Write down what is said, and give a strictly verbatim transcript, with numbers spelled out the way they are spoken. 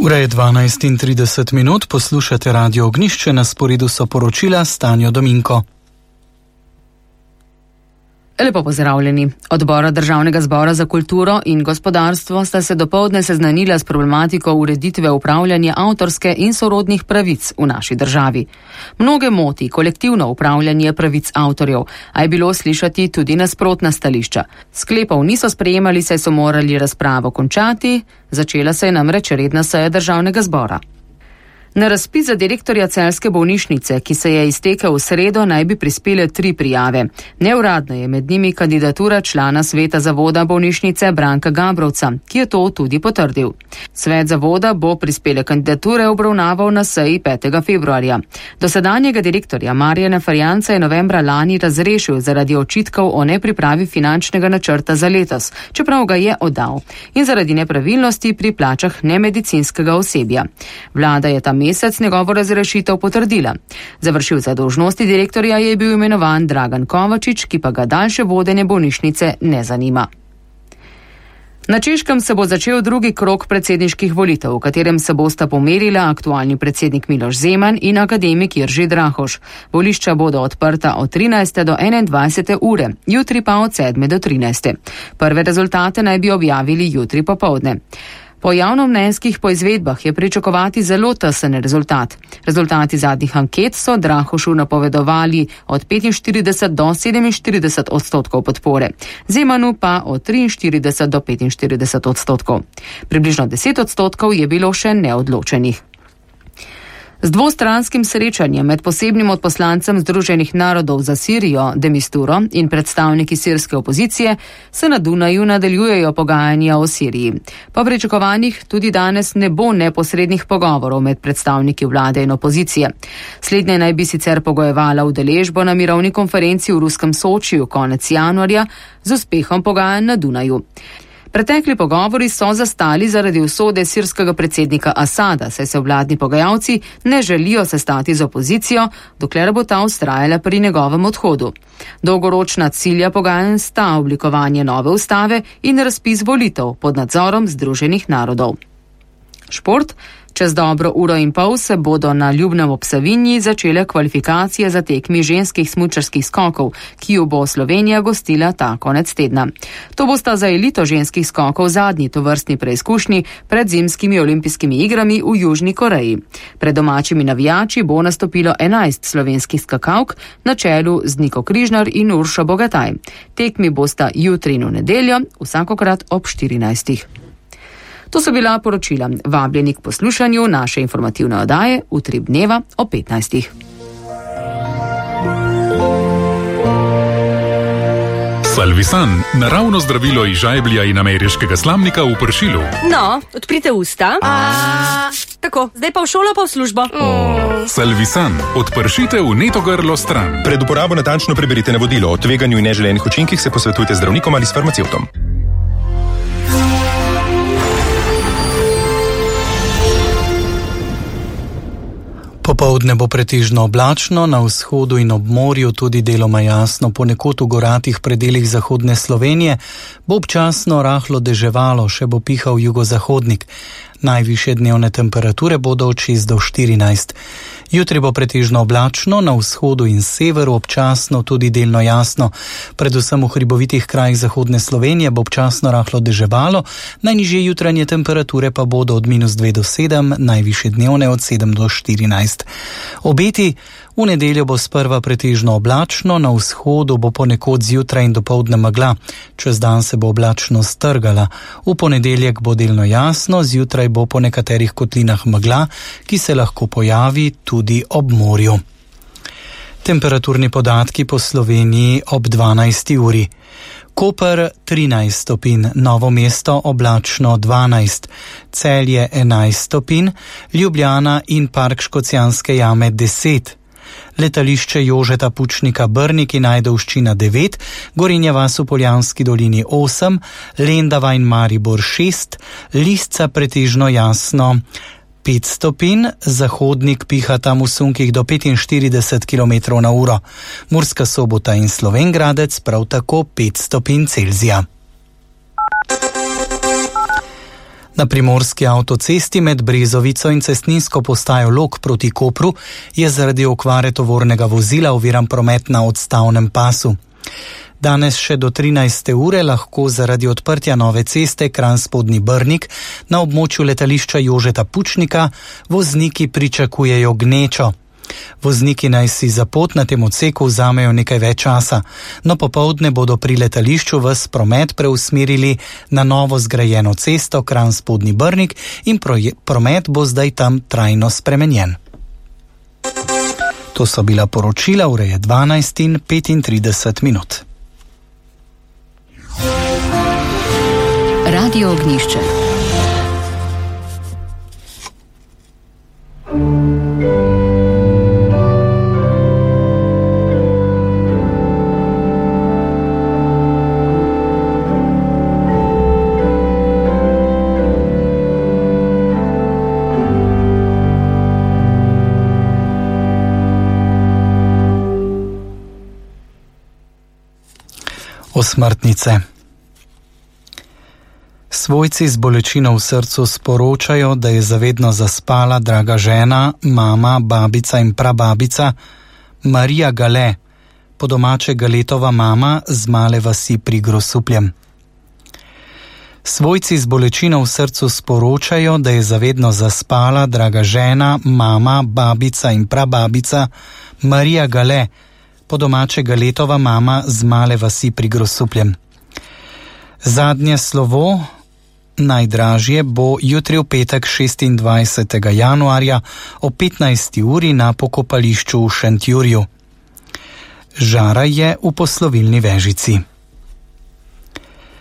Ura je dvanajst in trideset minut, poslušate Radio Ognjišče, na sporedu so poročila s Tanjo Dominko. Lepo pozdravljeni. Odbora Državnega zbora za kulturo in gospodarstvo sta se dopoldne seznanila s problematiko ureditve upravljanja avtorske in sorodnih pravic v naši državi. Mnoge moti kolektivno upravljanje pravic avtorjev, a je bilo slišati tudi nasprotna stališča. Sklepov niso sprejemali, saj so morali razpravo končati, začela se je namreč redna seja Državnega zbora. Na razpis za direktorja celjske bolnišnice, ki se je iztekel v sredo, naj bi prispele tri prijave. Neuradno je med njimi kandidatura člana sveta zavoda bolnišnice Branka Gabrovca, ki je to tudi potrdil. Svet zavoda bo prispele kandidature obravnaval na seji petega februarja. Dosedanjega direktorja Marjana Ferjanca je novembra lani razrešil zaradi očitkov o nepripravi finančnega načrta za letos, čeprav ga je oddal, in zaradi nepravilnosti pri plačah nemedicinskega osebja. Vlada je tam mesec njegovo razrešitev potrdila. Za vršilca dolžnosti direktorja je bil imenovan Dragan Kovačič, ki pa ga daljše vodenje bolnišnice ne zanima. Na Češkem se bo začel drugi krog predsedniških volitev, v katerem se bosta pomerila aktualni predsednik Miloš Zeman in akademik Jerži Drahoš. Volišča bodo odprta od trinajste do enaindvajsete ure, jutri pa od sedme do trinajste. Prve rezultate naj bi objavili jutri popoldne. Po javnomnenjskih poizvedbah je pričakovati zelo tesen rezultat. Rezultati zadnjih anket so Drahošu napovedovali od petinštirideset do sedeminštirideset odstotkov podpore, Zemanu pa od triinštirideset do petinštirideset odstotkov. Približno deset odstotkov je bilo še neodločenih. Z dvostranskim srečanjem med posebnim odposlancem Združenih narodov za Sirijo, de Misturo, in predstavniki sirske opozicije se na Dunaju nadaljujejo pogajanja o Siriji. Po pričakovanjih tudi danes ne bo neposrednih pogovorov med predstavniki vlade in opozicije. Slednje naj bi sicer pogojevala udeležbo na mirovni konferenci v ruskem Sočiju konec januarja z uspehom pogajanj na Dunaju. Pretekli pogovori so zastali zaradi usode sirskega predsednika Asada, saj se vladni pogajalci ne želijo sestati z opozicijo, dokler bo ta vztrajala pri njegovem odhodu. Dolgoročna cilja pogajanj sta oblikovanje nove ustave in razpis volitev pod nadzorom Združenih narodov. Šport. Čez dobro uro in pol se bodo na Ljubnem ob Savinji začele kvalifikacije za tekmi ženskih smučarskih skokov, ki jo bo Slovenija gostila ta konec tedna. To bosta za elito ženskih skokov zadnji tovrstni preizkušnji pred zimskimi olimpijskimi igrami v Južni Koreji. Pred domačimi navijači bo nastopilo enajst slovenskih skakalk na čelu z Niko Križnar in Uršo Bogataj. Tekmi bosta jutri in v nedeljo, vsakokrat ob štirinajstih. To so bila poročila. Vabljeni k poslušanju naše informativne oddaje Utrip dneva o petnajstih. Salvisan, naravno zdravilo iz žajblja in ameriškega slamnika v pršilu. No, odprite usta. A... Tako, zdaj pa v šolo, pa v službo. Oh, Salvisan, odpršite v neto grlo stran. Pred uporabo natančno preberite navodilo. O tveganju in neželenih učinkih se posvetujte z zdravnikom ali s farmacevtom. Popoldne bo pretežno oblačno, na vzhodu in ob morju tudi deloma jasno, ponekod v goratih predelih zahodne Slovenije bo občasno rahlo deževalo, še bo pihal jugozahodnik. Najvišje dnevne temperature bodo od šest do štirinajst. Jutri bo pretežno oblačno, na vzhodu in severu občasno tudi delno jasno. Predvsem v hribovitih krajih zahodne Slovenije bo občasno rahlo deževalo, najnižje jutranje temperature pa bodo od minus dve do sedem, najvišje dnevne od sedem do štirinajst. Obeti: v nedeljo bo sprva pretežno oblačno, na vzhodu bo ponekod zjutraj in dopoldne megla, čez dan se bo oblačnost strgala. V ponedeljek bo delno jasno, zjutraj bo po nekaterih kotlinah megla, ki se lahko pojavi tudi ob morju. Temperaturni podatki po Sloveniji ob dvanajsti uri. Koper trinajst stopinj, Novo mesto oblačno dvanajst, Celje enajst stopinj, Ljubljana in Park Škocjanske jame deset. Letališče Jožeta Pučnika Brnik in Ajdovščina devet, Gorenja vas v Poljanski dolini osem, Lendava in Maribor šest, Lisca pretežno jasno pet stopinj, Zahodnik piha tam v sunkih do petinštirideset kilometrov na uro, Murska Sobota in Slovenj Gradec prav tako pet stopinj Celzija. Na primorski avtocesti med Brezovico in cestninsko postajo Log proti Kopru je zaradi okvare tovornega vozila oviran promet na odstavnem pasu. Danes še do trinajste ure lahko zaradi odprtja nove ceste Kranj-Spodnji Brnik na območju letališča Jožeta Pučnika vozniki pričakujejo gnečo. Vozniki naj si za pot na tem odseku vzamejo nekaj več časa, no popoldne bodo pri letališču ves promet preusmerili na novo zgrajeno cesto Kranj-Spodnji Brnik in proje, promet bo zdaj tam trajno spremenjen. To so bila poročila, ura je dvanajst in petintrideset minut. Radio Ognjišče. Osmrtnice. Svojci z bolečino v srcu sporočajo, da je zavedno zaspala draga žena, mama, babica in prababica Marija Gale, po domače Galetova mama z male vasi pri Grosupljem. Svojci z bolečino v srcu sporočajo, da je zavedno zaspala draga žena, mama, babica in prababica Marija Gale, po domače Galetova mama z male vasi pri Grosupljem. Zadnje slovo, najdražje, bo jutri v petek šestindvajsetega januarja o petnajsti uri na pokopališču v Šentjurju. Žara je v poslovilni Vežici.